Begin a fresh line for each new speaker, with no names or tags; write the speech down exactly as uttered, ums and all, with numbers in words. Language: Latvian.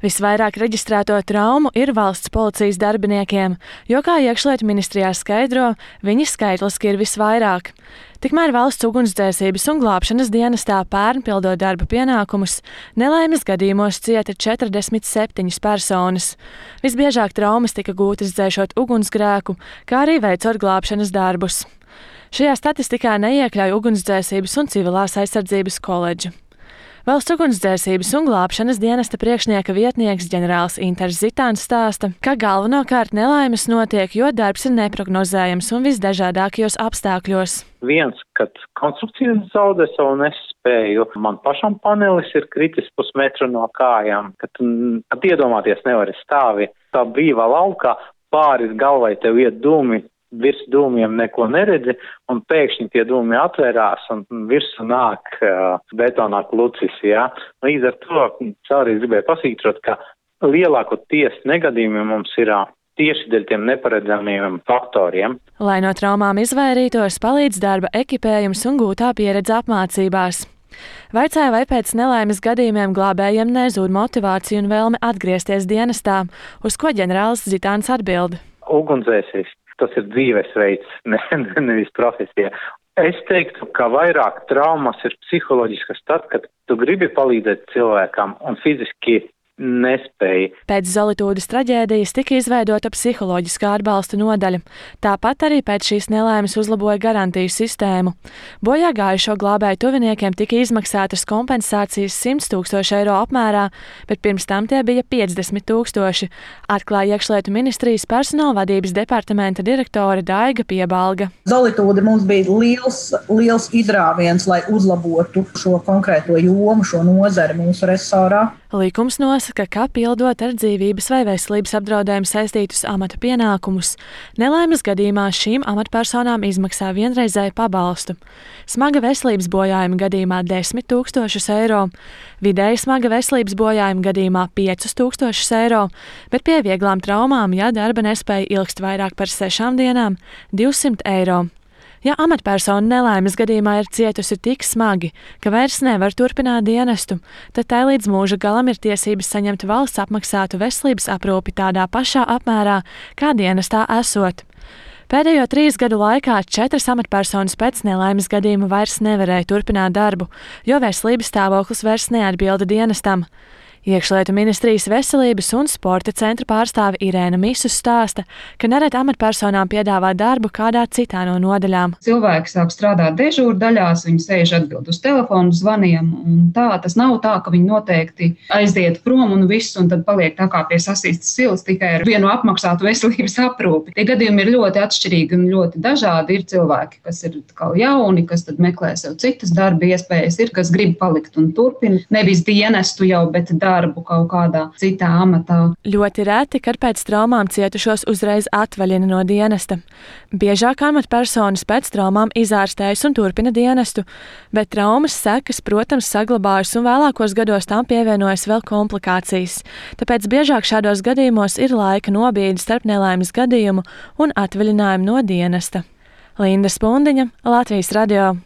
Visvairāk reģistrēto traumu ir valsts policijas darbiniekiem, jo, kā iekšlietu ministrijā skaidro, viņi skaitliski ir visvairāk. Tikmēr valsts ugunsdzēsības un glābšanas dienestā pērn pildot darba pienākumus, nelaimes gadījumos cieta četrdesmit septiņas personas. Visbiežāk traumas tika gūtas dzēšot ugunsgrēku, kā arī veicot glābšanas darbus. Šajā statistikā neiekļauj ugunsdzēsības un civilās aizsardzības koledžu. Valsts ugunsdzēsības un glābšanas dienesta priekšnieka vietnieks ģenerālis Inters Zitāns stāsta, ka galvenokārt nelaimes notiek, jo darbs ir neprognozējams un visdažādākajos apstākļos.
Viens, kad konstrukcijas zaudē savu nespēju, man pašam panelis ir kritis pusmetru no kājām, kad, kad iedomāties nevari stāvi tā brīvā laukā, pāris galvai tev iet dūmi, virs dūmiem neko neredzi, un pēkšņi tie dūmi atvērās, un virsū nāk uh, betonā klucis, jā. Līdz ar to caurīs gribēju pasītrot, ka lielākoties negadījumi mums ir uh, tieši dēļ tiem neparedzamiem faktoriem.
Lai no traumām izvairītos, palīdz darba ekipējums un gūtā pieredze apmācībās. Vaicāja, vai pēc nelaimes gadījumiem glābējiem nezūd motivācija un vēlme atgriezties dienestā, uz ko ģenerālis Zitāns atbild.
Ugunsdzēsējs. Tas ir dzīvesveids, ne, ne, nevis profesija. Es teiktu, ka vairāk traumas ir psiholoģiskas tad, kad tu gribi palīdzēt cilvēkam un fiziski nespēja.
Pēc Zolitūdas traģēdijas tika izveidota psiholoģiskā atbalsta nodaļa. Tāpat arī pēc šīs nelaimes uzlaboja garantiju sistēmu. Bojā gājušo glābēju tuviniekiem tika izmaksātas kompensācijas simt tūkstoši eiro apmērā, bet pirms tam tie bija piecdesmit tūkstoši, atklāja iekšlietu ministrijas personāla vadības departamenta direktore Daiga Piebalga.
Zolitūda mums bija liels, liels izrāviens, lai uzlabotu šo konkrēto jomu, šo nozari mūsu resorā.
Likums nosaka, ka pildot ar dzīvības vai veselības apdraudējumu saistītus amata pienākumus, nelaimes gadījumā šīm amatpersonām izmaksā vienreizēju pabalstu. Smaga veselības bojājuma gadījumā desmit tūkstošus eiro, vidēji smaga veselības bojājuma gadījumā piecus tūkstošus eiro, bet pie vieglām traumām, ja darba nespēja ilgst vairāk par sešām dienām, divsimt eiro. Ja amatpersona nelaimes gadījumā ir cietusi tik smagi, ka vairs nevar turpināt dienestu, tad tai līdz mūža galam ir tiesības saņemt valsts apmaksātu veselības aprūpi tādā pašā apmērā, kā dienestā esot. Pēdējo trīs gadu laikā četras amatpersonas pēc nelaimes gadījuma vairs nevarēja turpināt darbu, jo veselības stāvoklis vairs neatbilda dienestam. Iekšlietu ministrijas veselības un sporta centra pārstāve Irēna Misus stāsta, ka nereti amatpersonām piedāvā darbu kādā citā no nodaļām.
Cilvēki sāk strādāt dežūru daļās, viņi sēž atbild uz telefonu zvaniem, un tā tas nav tā, ka viņi noteikti aiziet prom un viss, un tad paliek tā kā pie sasīstas silas tikai ar vienu apmaksātu veselības aprūpi. Tie gadījumi ir ļoti atšķirīgi un ļoti dažādi. Ir cilvēki, kas ir kā jauni, kas tad meklē sev citas darba iespējas, ir, kas grib palikt un turpina, nevis dienestu jau, bet darbu. darbu kaut kādā citā amatā.
Ļoti reti, kad pēc traumām cietušos uzreiz atvaļina no dienesta. Biežāk amatpersonas pēc traumām izārstējas un turpina dienestu, bet traumas sekas, protams, saglabājas un vēlākos gados tām pievienojas vēl komplikācijas. Tāpēc biežāk šādos gadījumos ir laika nobīde starp nelaimes gadījumu un atvaļinājumu no dienesta. Linda Spundiņa, Latvijas radio.